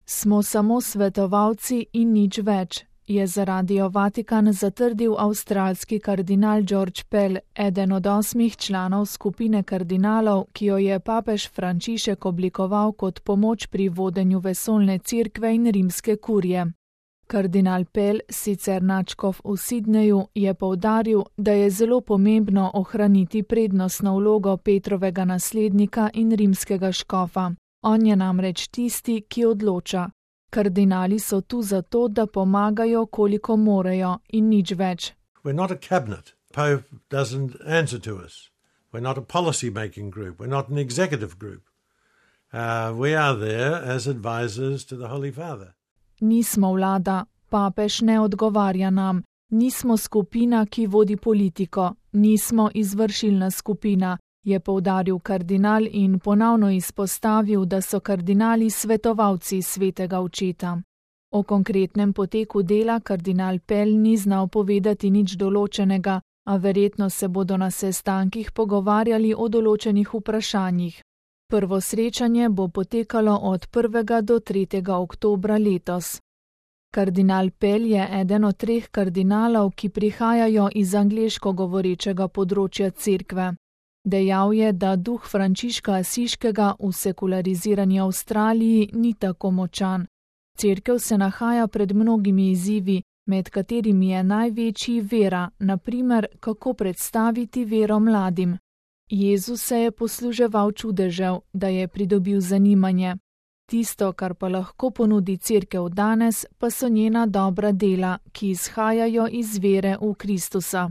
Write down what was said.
Smo samo svetovalci in nič več, je za Radio Vatikan zatrdil avstralski kardinal George Pell, eden od 8 članov skupine kardinalov, ki jo je papež Frančišek oblikoval kot pomoč pri vodenju vesoljne cerkve in rimske kurije. Kardinal Pell, sicer nadškof v Sydneyju, je poudaril, da je zelo pomembno ohraniti prednostno vlogo Petrovega naslednika in rimskega škofa. On je namreč tisti, ki odloča. Kardinali so tu zato, da pomagajo, koliko morejo, in nič več. We're not a cabinet. Pope doesn't answer to us. We're not a policy-making group. We're not an executive group. We are there as advisors to the Holy Father. Nismo vlada, papež ne odgovarja nam, nismo skupina, ki vodi politiko, nismo izvršilna skupina, je poudaril kardinal in ponovno izpostavil, da so kardinali svetovalci svetega očeta. O konkretnem poteku dela kardinal Pell ni znal povedati nič določenega, a verjetno se bodo na sestankih pogovarjali o določenih vprašanjih. Prvo srečanje bo potekalo od 1. do 3. oktobra letos. Kardinal Pell je eden od 3 kardinalov, ki prihajajo iz angleško govorečega področja cerkve. Dejal je, da duh Frančiška Asiškega v sekularizirani Avstraliji ni tako močan. Cerkev se nahaja pred mnogimi izzivi, med katerimi je največji vera, na primer, kako predstaviti vero mladim. Jezus se je posluževal čudežev, da je pridobil zanimanje. Tisto, kar pa lahko ponudi cerkev danes, pa so njena dobra dela, ki izhajajo iz vere v Kristusa.